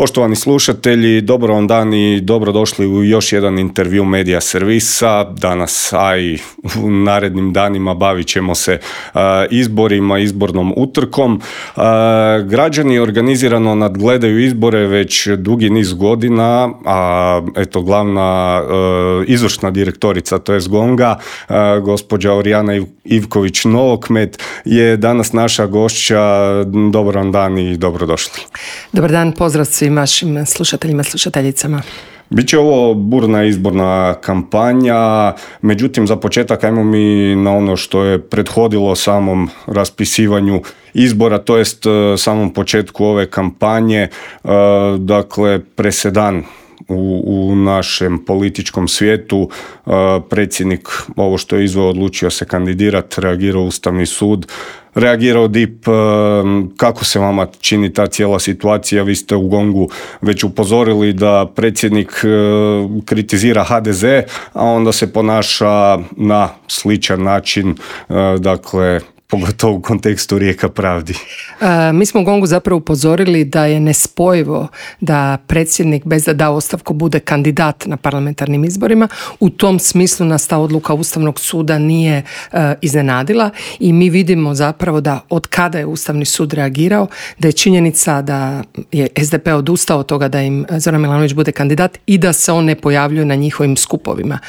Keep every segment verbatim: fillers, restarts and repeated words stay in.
Poštovani slušatelji, dobro vam dan i dobrodošli u još jedan intervju Medija servisa. Danas, a i u narednim danima bavit ćemo se uh, izborima, izbornom utrkom. Uh, građani organizirano nadgledaju izbore već dugi niz godina, a eto glavna uh, izvršna direktorica, to je Gonga, uh, gospođa Orijana Ivković-Novokmet je danas naša gošća. Dobar vam dan i dobrodošli. Dobar dan, pozdrav svim vašim slušateljima, slušateljicama. Biće ovo burna izborna kampanja, međutim za početak ajmo mi na ono što je prethodilo samom raspisivanju izbora, to jest samom početku ove kampanje, dakle presedan U, u našem političkom svijetu. Predsjednik, ovo što je izveo, odlučio se kandidirati, reagirao Ustavni sud, reagirao D I P. Kako se vama čini ta cijela situacija? Vi ste u Gongu već upozorili da predsjednik kritizira H D Z, a onda se ponaša na sličan način, dakle pogotovo u kontekstu Rijeka pravdi. E, mi smo u Gongu zapravo upozorili da je nespojivo da predsjednik bez da da ostavku bude kandidat na parlamentarnim izborima. U tom smislu nas ta odluka Ustavnog suda nije e, iznenadila i mi vidimo zapravo da od kada je Ustavni sud reagirao, da je činjenica da je S D P odustao od toga da im Zoran Milanović bude kandidat i da se on ne pojavljuje na njihovim skupovima.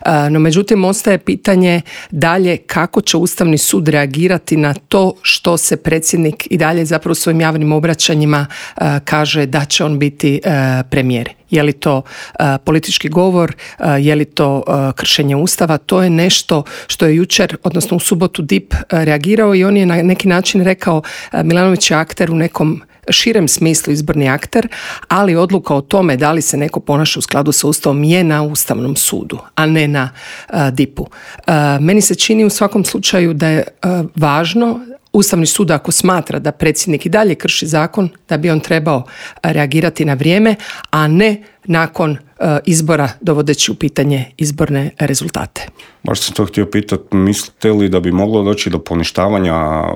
E, no međutim, ostaje pitanje dalje kako će Ustavni sud reagirati na to što se predsjednik i dalje zapravo u svojim javnim obraćanjima uh, kaže da će on biti uh, premijer. Je li to uh, politički govor, uh, je li to uh, kršenje Ustava? To je nešto što je jučer, odnosno u subotu D I P uh, reagirao i on je na neki način rekao uh, Milanović je akter u nekom širem smislu izborni akter, ali odluka o tome da li se neko ponaša u skladu sa Ustavom je na Ustavnom sudu, a ne na uh, D I P-u. Uh, meni se čini u svakom slučaju da je uh, važno Ustavni sud ako smatra da predsjednik i dalje krši zakon, da bi on trebao reagirati na vrijeme, a ne nakon uh, izbora dovodeći u pitanje izborne rezultate. Baš sam to htio pitati, mislite li da bi moglo doći do poništavanja uh,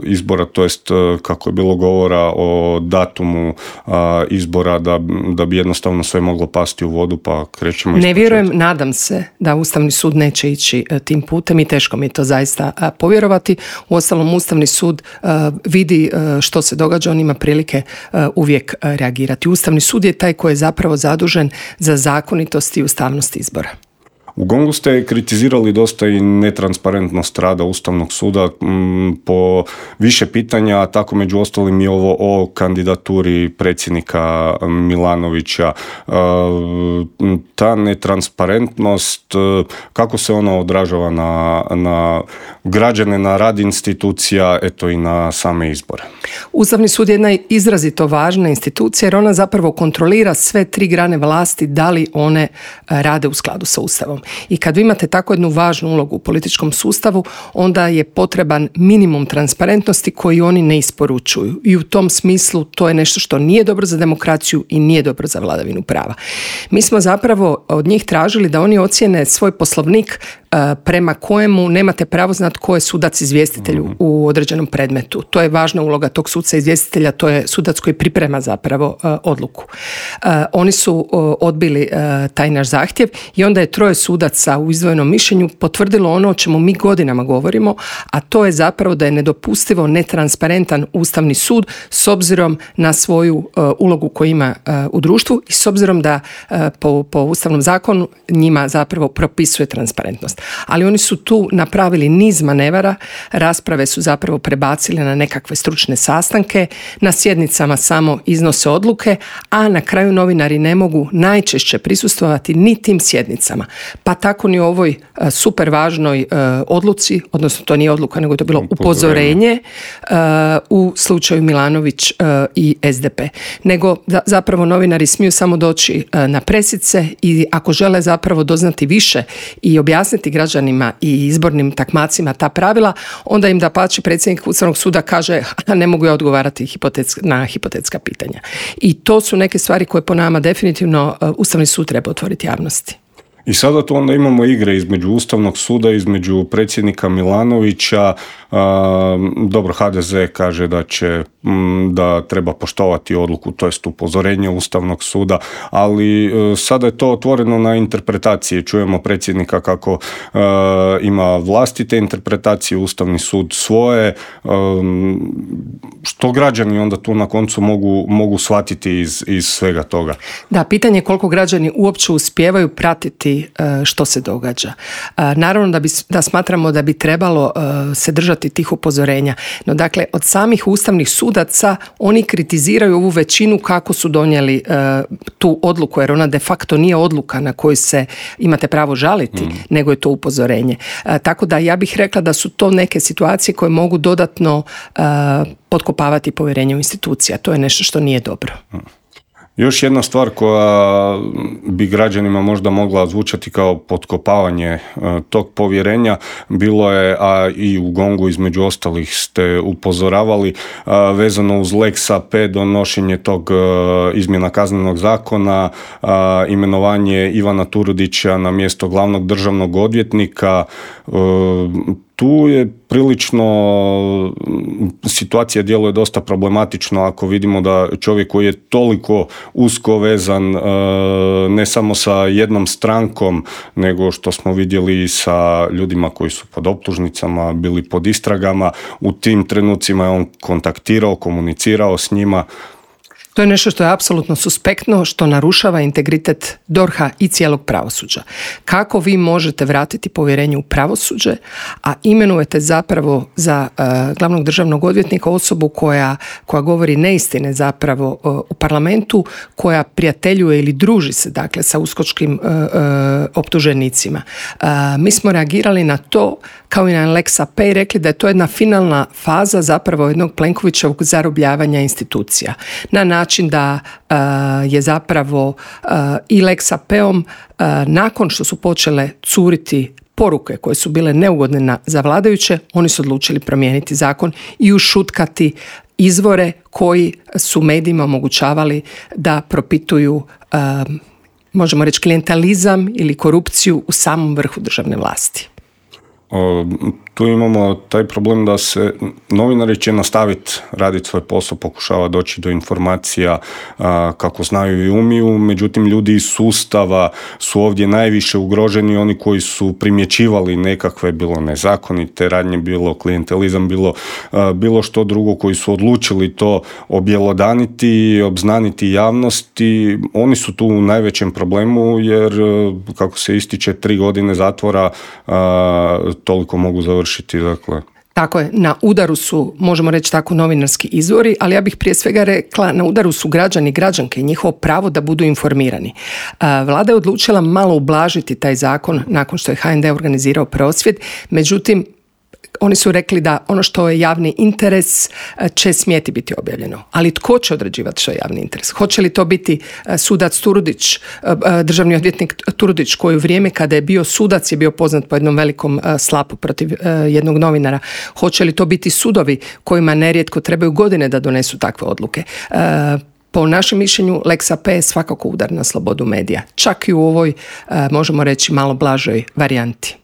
izbora, to jest uh, kako je bilo govora o datumu uh, izbora, da, da bi jednostavno sve moglo pasti u vodu, pa krećemo iz Ne vjerujem, nadam se da Ustavni sud neće ići uh, tim putem i teško mi je to zaista uh, povjerovati. Uostalom, Ustavni sud uh, vidi uh, što se događa, on ima prilike uh, uvijek uh, reagirati. Ustavni sud je taj koji je zapravo zadužen za zakonitost i ustavnost izbora. U Gongu ste kritizirali dosta i netransparentnost rada Ustavnog suda m, po više pitanja, tako među ostalim i ovo o kandidaturi predsjednika Milanovića. E, ta netransparentnost, kako se ona odražava na, na građane, na rad institucija, eto i na same izbore? Ustavni sud je jedna izrazito važna institucija jer ona zapravo kontrolira sve tri grane vlasti da li one rade u skladu sa Ustavom. I kad vi imate tako jednu važnu ulogu u političkom sustavu, onda je potreban minimum transparentnosti koji oni ne isporučuju. I u tom smislu to je nešto što nije dobro za demokraciju i nije dobro za vladavinu prava. Mi smo zapravo od njih tražili da oni ocijene svoj poslovnik prema kojemu nemate pravo znati ko je sudac izvjestitelj u određenom predmetu. To je važna uloga tog suca izvjestitelja, to je sudac koji priprema zapravo uh, odluku. Uh, oni su uh, odbili uh, taj naš zahtjev i onda je troje sudaca u izdvojenom mišljenju potvrdilo ono o čemu mi godinama govorimo, a to je zapravo da je nedopustivo netransparentan Ustavni sud s obzirom na svoju uh, ulogu koju ima uh, u društvu i s obzirom da uh, po, po Ustavnom zakonu njima zapravo propisuje transparentnost. Ali oni su tu napravili niz manevara, rasprave su zapravo prebacile na nekakve stručne sastanke, na sjednicama samo iznose odluke, a na kraju novinari ne mogu najčešće prisustvovati ni tim sjednicama. Pa tako ni u ovoj uh, super važnoj uh, odluci, odnosno to nije odluka, nego je to bilo upozorenje uh, u slučaju Milanović uh, i S D P. Nego da, zapravo novinari smiju samo doći uh, na presice i ako žele zapravo doznati više i objasniti građanima i izbornim takmacima ta pravila, onda im dapače predsjednik Ustavnog suda kaže ne mogu ja odgovarati hipotetska, na hipotetska pitanja. I to su neke stvari koje po nama definitivno uh, Ustavni sud treba otvoriti javnosti. I sada tu onda imamo igre između Ustavnog suda, između predsjednika Milanovića. Dobro, ha de ze kaže da će da treba poštovati odluku, to jest upozorenje Ustavnog suda, ali sada je to otvoreno na interpretacije. Čujemo predsjednika kako uh, ima vlastite interpretacije, Ustavni sud svoje, um, što građani onda tu na koncu mogu, mogu shvatiti iz, iz svega toga. Da, pitanje je koliko građani uopće uspijevaju pratiti uh, što se događa. Uh, naravno da, bi, da smatramo da bi trebalo uh, se držati tih upozorenja, no dakle od samih ustavnih sudaca oni kritiziraju ovu većinu kako su donijeli uh, tu odluku, jer ona de facto nije odluka na koju se imate pravo žaliti, mm. nego je to upozorenje. Uh, tako da ja bih rekla da su to neke situacije koje mogu dodatno uh, potkopavati povjerenje u institucije. To je nešto što nije dobro. Mm. Još jedna stvar koja bi građanima možda mogla zvučati kao potkopavanje tog povjerenja, bilo je, a i u Gongu između ostalih ste upozoravali, vezano uz Lex a pe, donošenje tog izmjena kaznenog zakona, imenovanje Ivana Turudića na mjesto glavnog državnog odvjetnika. Tu je prilično, situacija djeluje dosta problematično ako vidimo da čovjek koji je toliko usko vezan ne samo sa jednom strankom, nego što smo vidjeli sa ljudima koji su pod optužnicama, bili pod istragama, u tim trenucima je on kontaktirao, komunicirao s njima. To je nešto što je apsolutno suspektno, što narušava integritet D O R H-a i cijelog pravosuđa. Kako vi možete vratiti povjerenje u pravosuđe, a imenujete zapravo za uh, glavnog državnog odvjetnika osobu koja, koja govori neistine zapravo uh, u parlamentu, koja prijateljuje ili druži se dakle sa uskočkim uh, uh, optuženicima. Uh, mi smo reagirali na to kao i na Lex a pe i rekli da je to jedna finalna faza zapravo jednog Plenkovićevog zarobljavanja institucija. Na način da uh, je zapravo uh, i Lex a peom uh, nakon što su počele curiti poruke koje su bile neugodne na, za vladajuće, oni su odlučili promijeniti zakon i ušutkati izvore koji su medijima omogućavali da propituju uh, možemo reći klijentalizam ili korupciju u samom vrhu državne vlasti. O, tu imamo taj problem da se novinari će nastaviti raditi svoj posao, pokušava doći do informacija a, kako znaju i umiju, međutim ljudi iz sustava su ovdje najviše ugroženi, oni koji su primjećivali nekakve, bilo nezakonite radnje, bilo klijentelizam, bilo, a, bilo što drugo, koji su odlučili to objelodaniti, obznaniti javnosti, oni su tu u najvećem problemu jer, kako se ističe, tri godine zatvora a, toliko mogu završiti, dakle. Tako je, na udaru su, možemo reći tako, novinarski izvori, ali ja bih prije svega rekla, na udaru su građani i građanke i njihovo pravo da budu informirani. Vlada je odlučila malo ublažiti taj zakon nakon što je ha en de organizirao prosvjed, međutim, oni su rekli da ono što je javni interes će smjeti biti objavljeno. Ali tko će određivati što je javni interes? Hoće li to biti sudac Turudić, državni odvjetnik Turudić, koji u vrijeme kada je bio sudac je bio poznat po jednom velikom slapu protiv jednog novinara? Hoće li to biti sudovi kojima nerijetko trebaju godine da donesu takve odluke? Po našem mišljenju, Lex a pe je svakako udar na slobodu medija. Čak i u ovoj, možemo reći, malo blažoj varijanti.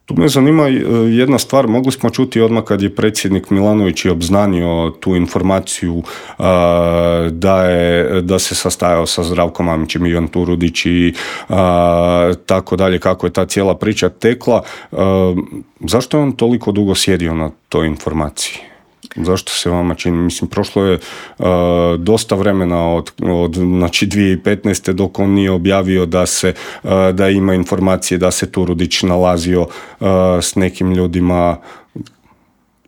Tu me zanima jedna stvar, mogli smo čuti odmah kad je predsjednik Milanović je obznanio tu informaciju a, da, je, da se sastajao sa Zdravkom Mamićem, Ivan Turudić i a, tako dalje, kako je ta cijela priča tekla. A, zašto je on toliko dugo sjedio na toj informaciji? Zašto se vama čini? Mislim, prošlo je uh, dosta vremena od, od znači dvije tisuće petnaeste dok on nije objavio da se uh, da ima informacije da se Turudić nalazio uh, s nekim ljudima.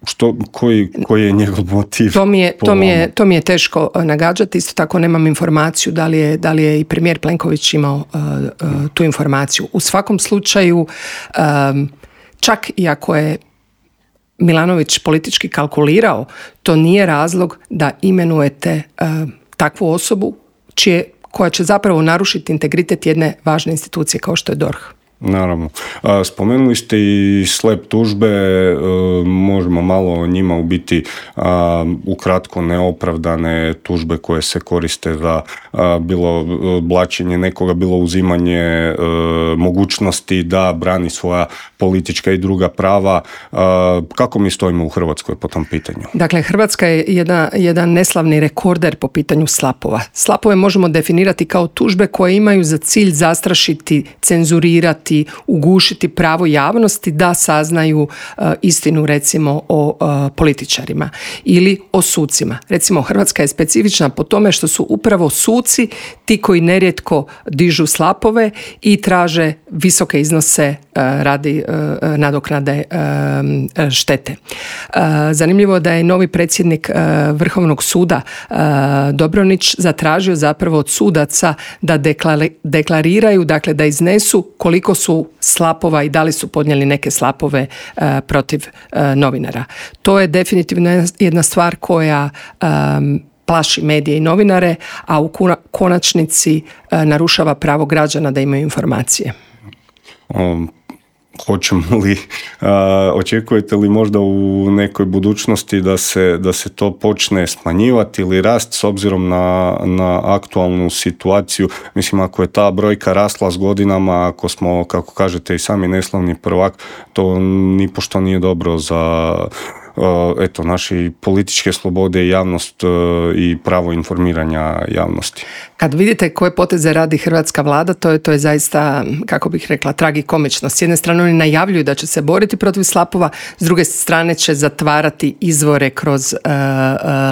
Što, koji, koji je njegov motiv? To mi je, to mi je, to mi je teško nagađati. Isto tako nemam informaciju da li je, da li je i premijer Plenković imao uh, uh, tu informaciju. U svakom slučaju, um, čak i ako je Milanović politički kalkulirao, to nije razlog da imenujete uh, takvu osobu čije, koja će zapravo narušiti integritet jedne važne institucije kao što je D O R H. Naravno. Spomenuli ste i slep tužbe, možemo malo o njima u biti ukratko neopravdane tužbe koje se koriste za bilo blaćenje nekoga, bilo uzimanje mogućnosti da brani svoja politička i druga prava. Kako mi stojimo u Hrvatskoj po tom pitanju? Dakle, Hrvatska je jedna, jedan neslavni rekorder po pitanju slapova. Slapove možemo definirati kao tužbe koje imaju za cilj zastrašiti, cenzurirati, ugušiti pravo javnosti da saznaju uh, istinu recimo o uh, političarima ili o sucima. Recimo Hrvatska je specifična po tome što su upravo suci ti koji nerijetko dižu slapove i traže visoke iznose uh, radi uh, nadoknade uh, štete. Uh, zanimljivo da je novi predsjednik uh, Vrhovnog suda uh, Dobronić zatražio zapravo od sudaca da deklar- deklariraju, dakle da iznesu koliko su slapova i da li su podnijeli neke slapove uh, protiv uh, novinara. To je definitivno jedna stvar koja um, plaši medije i novinare, a u konačnici uh, narušava pravo građana da imaju informacije. Um. Hoćemo li, uh, očekujete li možda u nekoj budućnosti da se, da se to počne smanjivati ili rast s obzirom na, na aktualnu situaciju? Mislim, ako je ta brojka rasla s godinama, ako smo, kako kažete, i sami neslavni prvak, to nipošto nije dobro za eto, naše političke slobode i javnost i pravo informiranja javnosti. Kad vidite koje poteze radi hrvatska vlada, to je, to je zaista, kako bih rekla, tragikomično. S jedne strane oni najavljuju da će se boriti protiv slapova, s druge strane će zatvarati izvore kroz uh, uh,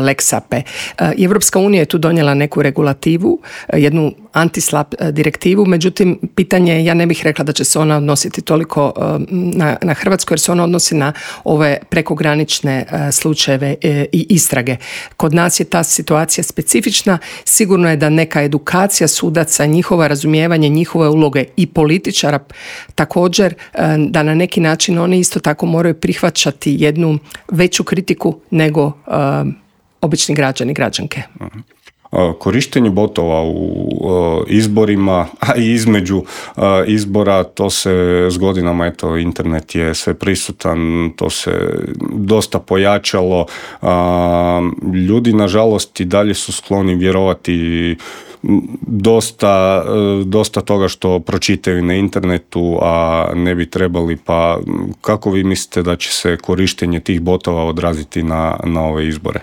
Lex A P. Uh, Evropska unija je tu donijela neku regulativu, uh, jednu antislap uh, direktivu, međutim, pitanje je, ja ne bih rekla da će se ona odnositi toliko uh, na, na Hrvatsku, jer se ona odnosi na ove prekogranične uh, slučajeve uh, i istrage. Kod nas je ta situacija specifična, sigurno je da neka edukacija sudaca, njihova razumijevanje, njihove uloge i političara također, da na neki način oni isto tako moraju prihvaćati jednu veću kritiku nego uh, obični građani i građanke. Korištenje botova u izborima, a i između izbora, to se s godinama, eto, internet je sve prisutan, to se dosta pojačalo. Ljudi, nažalost, i dalje su skloni vjerovati dosta, dosta toga što pročitaju na internetu, a ne bi trebali. Pa kako vi mislite da će se korištenje tih botova odraziti na, na ove izbore?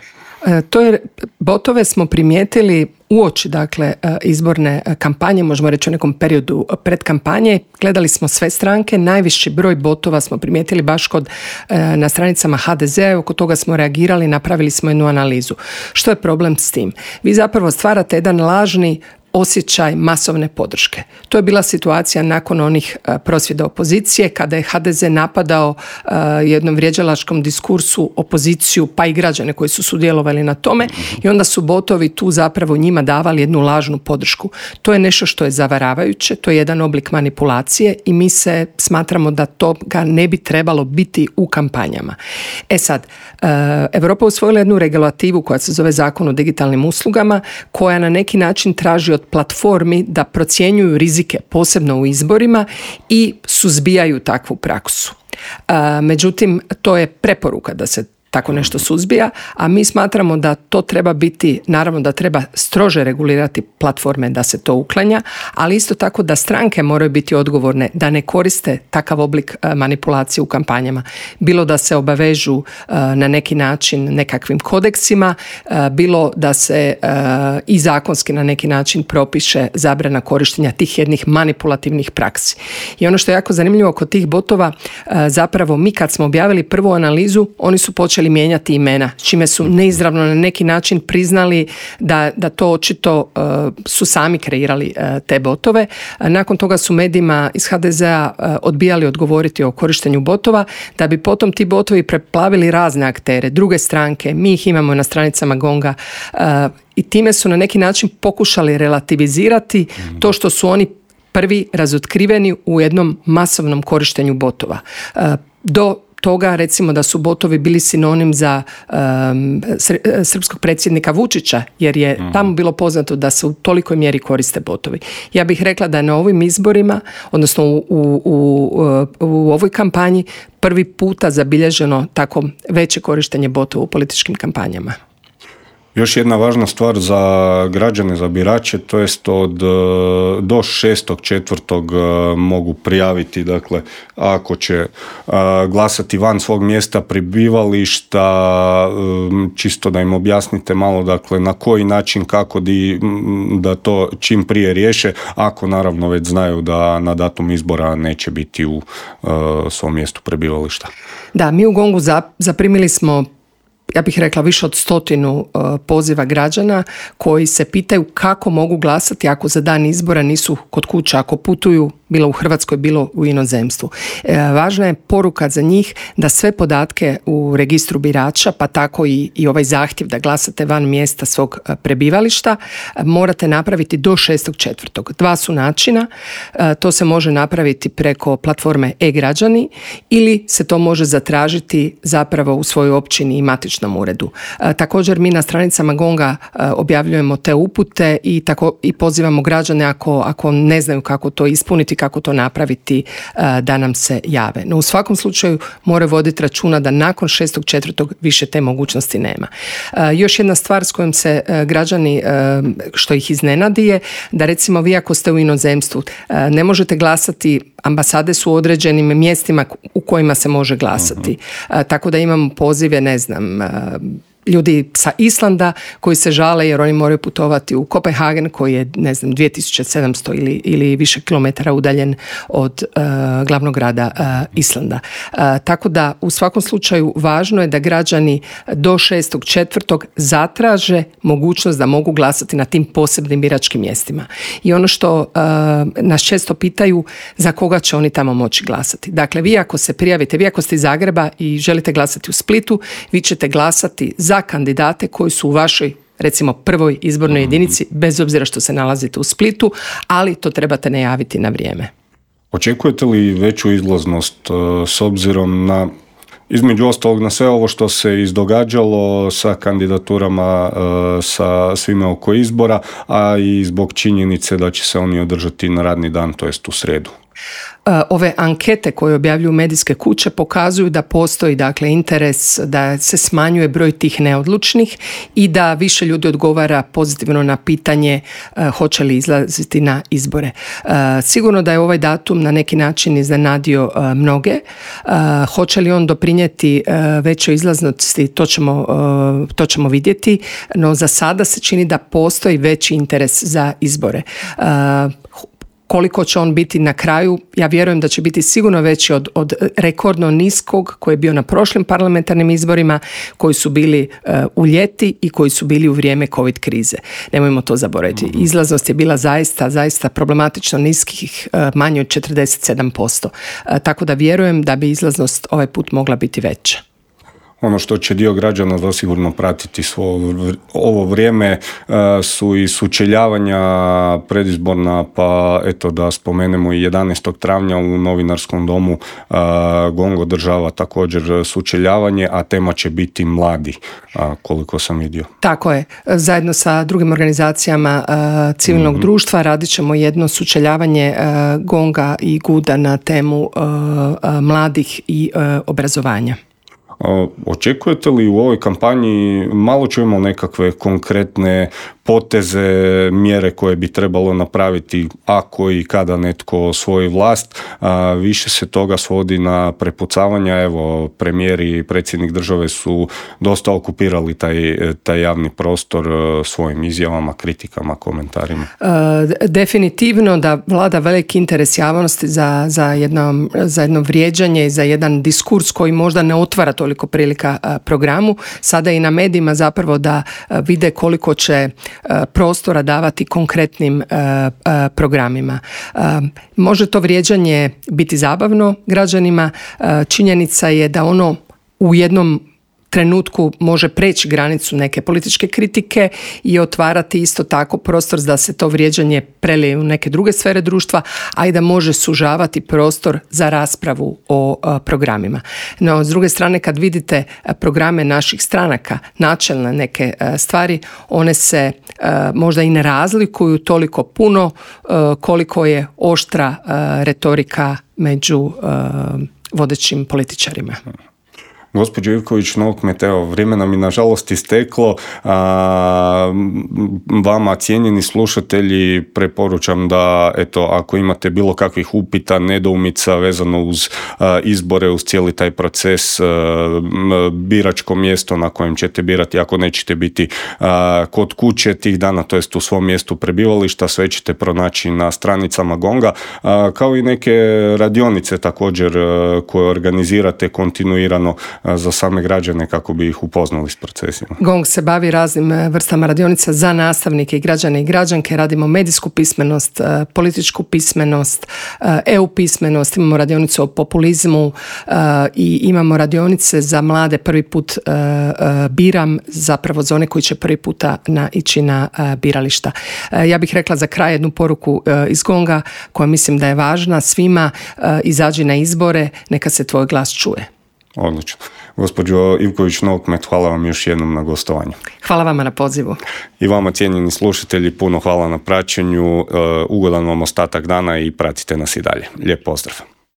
To je, botove smo primijetili uoči, dakle, izborne kampanje, možemo reći u nekom periodu pred kampanje. Gledali smo sve stranke, najviši broj botova smo primijetili baš kod, na stranicama ha de ze, oko toga smo reagirali, napravili smo jednu analizu. Što je problem s tim? Vi zapravo stvarate jedan lažni osjećaj masovne podrške. To je bila situacija nakon onih uh, prosvjeda opozicije, kada je ha de ze napadao uh, jednom vrijeđalačkom diskursu opoziciju, pa i građane koji su sudjelovali na tome, i onda su botovi tu zapravo njima davali jednu lažnu podršku. To je nešto što je zavaravajuće, to je jedan oblik manipulacije i mi se smatramo da toga ne bi trebalo biti u kampanjama. E sad, uh, Europa usvojila jednu regulativu koja se zove Zakon o digitalnim uslugama, koja na neki način traži od platformi da procjenjuju rizike, posebno u izborima, i suzbijaju takvu praksu. Međutim, to je preporuka da se tako nešto suzbija, a mi smatramo da to treba biti, naravno da treba strože regulirati platforme da se to uklanja, ali isto tako da stranke moraju biti odgovorne da ne koriste takav oblik manipulacije u kampanjama. Bilo da se obavežu na neki način nekakvim kodeksima, bilo da se i zakonski na neki način propiše zabrana korištenja tih jednih manipulativnih praksi. I ono što je jako zanimljivo kod tih botova, zapravo mi kad smo objavili prvu analizu, oni su počeli mijenjati imena, čime su neizravno na neki način priznali da, da to očito uh, su sami kreirali uh, te botove. Nakon toga su medijima iz ha de zea uh, odbijali odgovoriti o korištenju botova, da bi potom ti botovi preplavili razne aktere, druge stranke, mi ih imamo na stranicama Gonga, uh, i time su na neki način pokušali relativizirati to što su oni prvi razotkriveni u jednom masovnom korištenju botova. Uh, do toga recimo da su botovi bili sinonim za um, srpskog predsjednika Vučića, jer je mm. tamo bilo poznato da se u tolikoj mjeri koriste botovi. Ja bih rekla da je na ovim izborima, odnosno u, u, u, u ovoj kampanji prvi puta zabilježeno tako veće korištenje botova u političkim kampanjama. Još jedna važna stvar za građane, za birače, to jest od do šestog četvrtog mogu prijaviti, dakle, ako će glasati van svog mjesta prebivališta, čisto da im objasnite malo, dakle, na koji način, kako di, da to čim prije riješe, ako naravno već znaju da na datum izbora neće biti u svom mjestu prebivališta. Da, mi u Gongu zaprimili smo, ja bih rekla, više od stotinu uh, poziva građana koji se pitaju kako mogu glasati ako za dan izbora nisu kod kuće, ako putuju bilo u Hrvatskoj, bilo u inozemstvu. E, važna je poruka za njih da sve podatke u registru birača, pa tako i, i ovaj zahtjev da glasate van mjesta svog prebivališta, morate napraviti do šestog četvrtog. Dva su načina. E, to se može napraviti preko platforme e-građani ili se to može zatražiti zapravo u svojoj općini i matičnom uredu. E, također mi na stranicama Gonga e, objavljujemo te upute i, tako, i pozivamo građane ako, ako ne znaju kako to ispuniti, kako to napraviti, da nam se jave. No u svakom slučaju moraju voditi računa da nakon šestog četvrtog više te mogućnosti nema. Još jedna stvar s kojom se građani, što ih iznenadi, je da recimo vi ako ste u inozemstvu ne možete glasati, ambasade su u određenim mjestima u kojima se može glasati. Uh-huh. Tako da imamo pozive, ne znam, ljudi sa Islanda koji se žale jer oni moraju putovati u Kopenhagen koji je, ne znam, dvije tisuće sedamsto ili, ili više kilometara udaljen od uh, glavnog grada uh, Islanda. Uh, tako da u svakom slučaju važno je da građani do šestog četvrtog zatraže mogućnost da mogu glasati na tim posebnim biračkim mjestima. I ono što uh, nas često pitaju, za koga će oni tamo moći glasati. Dakle, vi ako se prijavite, vi ako ste iz Zagreba i želite glasati u Splitu, vi ćete glasati za kandidate koji su u vašoj, recimo, prvoj izbornoj jedinici, bez obzira što se nalazite u Splitu, ali to trebate najaviti na vrijeme. Očekujete li veću izlaznost s obzirom na, između ostalog, na sve ovo što se izdogađalo sa kandidaturama, sa svime oko izbora, a i zbog činjenice da će se oni održati na radni dan, to jest u srijedu? Ove ankete koje objavljuju medijske kuće pokazuju da postoji, dakle, interes da se smanjuje broj tih neodlučnih i da više ljudi odgovara pozitivno na pitanje uh, hoće li izlaziti na izbore. Uh, sigurno da je ovaj datum na neki način iznenadio uh, mnoge. Uh, hoće li on doprinijeti uh, većoj izlaznosti, to ćemo, uh, to ćemo vidjeti, no za sada se čini da postoji veći interes za izbore. Uh, Koliko će on biti na kraju, ja vjerujem da će biti sigurno veći od, od rekordno niskog koji je bio na prošlim parlamentarnim izborima, koji su bili uh, u ljeti i koji su bili u vrijeme COVID krize. Nemojmo to zaboraviti. Izlaznost je bila zaista, zaista problematično niskih, uh, manje od četrdeset sedam posto. Uh, tako da vjerujem da bi izlaznost ovaj put mogla biti veća. Ono što će dio građana zasigurno pratiti svo ovo vrijeme su i sučeljavanja predizborna, pa eto da spomenemo i jedanaestog travnja u Novinarskom domu Gong održava također sučeljavanje, a tema će biti mladi, koliko sam vidio. Tako je. Zajedno sa drugim organizacijama civilnog mm-hmm. društva radit ćemo jedno sučeljavanje Gonga i Guda na temu mladih i obrazovanja. Očekujete li u ovoj kampanji, malo čujemo nekakve konkretne poteze, mjere koje bi trebalo napraviti ako i kada netko osvoji vlast, a više se toga svodi na prepucavanja. Evo, premijer i predsjednik države su dosta okupirali taj, taj javni prostor svojim izjavama, kritikama, komentarima. E, definitivno da vlada veliki interes javnosti za, za, jedno, za jedno vrijeđanje i za jedan diskurs koji možda ne otvara toliko prilika programu. Sada i na medijima zapravo da vide koliko će prostora davati konkretnim programima. Može to vrijeđanje biti zabavno građanima. Činjenica je da ono u jednom trenutku može preći granicu neke političke kritike i otvarati isto tako prostor da se to vrijeđanje prelije u neke druge sfere društva, a i da može sužavati prostor za raspravu o a, programima. No, s druge strane, kad vidite programe naših stranaka, načelne neke a, stvari, one se a, možda i ne razlikuju toliko puno a, koliko je oštra a, retorika među a, vodećim političarima. Gospođo Ivković Novokmet, evo, vrijeme nam je nažalost isteklo. A, vama, cijenjeni slušatelji, preporučam da, eto, ako imate bilo kakvih upita, nedoumica vezano uz a, izbore, uz cijeli taj proces, a, biračko mjesto na kojem ćete birati, ako nećete biti a, kod kuće tih dana, to jest u svom mjestu prebivališta, sve ćete pronaći na stranicama Gonga, a, kao i neke radionice također a, koje organizirate kontinuirano za same građane kako bi ih upoznali s procesima. Gong se bavi raznim vrstama radionica za nastavnike i građane i građanke. Radimo medijsku pismenost, političku pismenost, E U pismenost, imamo radionicu o populizmu i imamo radionice za mlade. Prvi put biram, zapravo za one koji će prvi puta na, ići na birališta. Ja bih rekla za kraj jednu poruku iz Gonga koja mislim da je važna svima: izađi na izbore, neka se tvoj glas čuje. Odlično. Gospođo Ivković Novokmet, hvala vam još jednom na gostovanju. Hvala vama na pozivu. I vama, cijenjeni slušatelji, puno hvala na praćenju. Ugodan vam ostatak dana i pratite nas i dalje. Lijep pozdrav.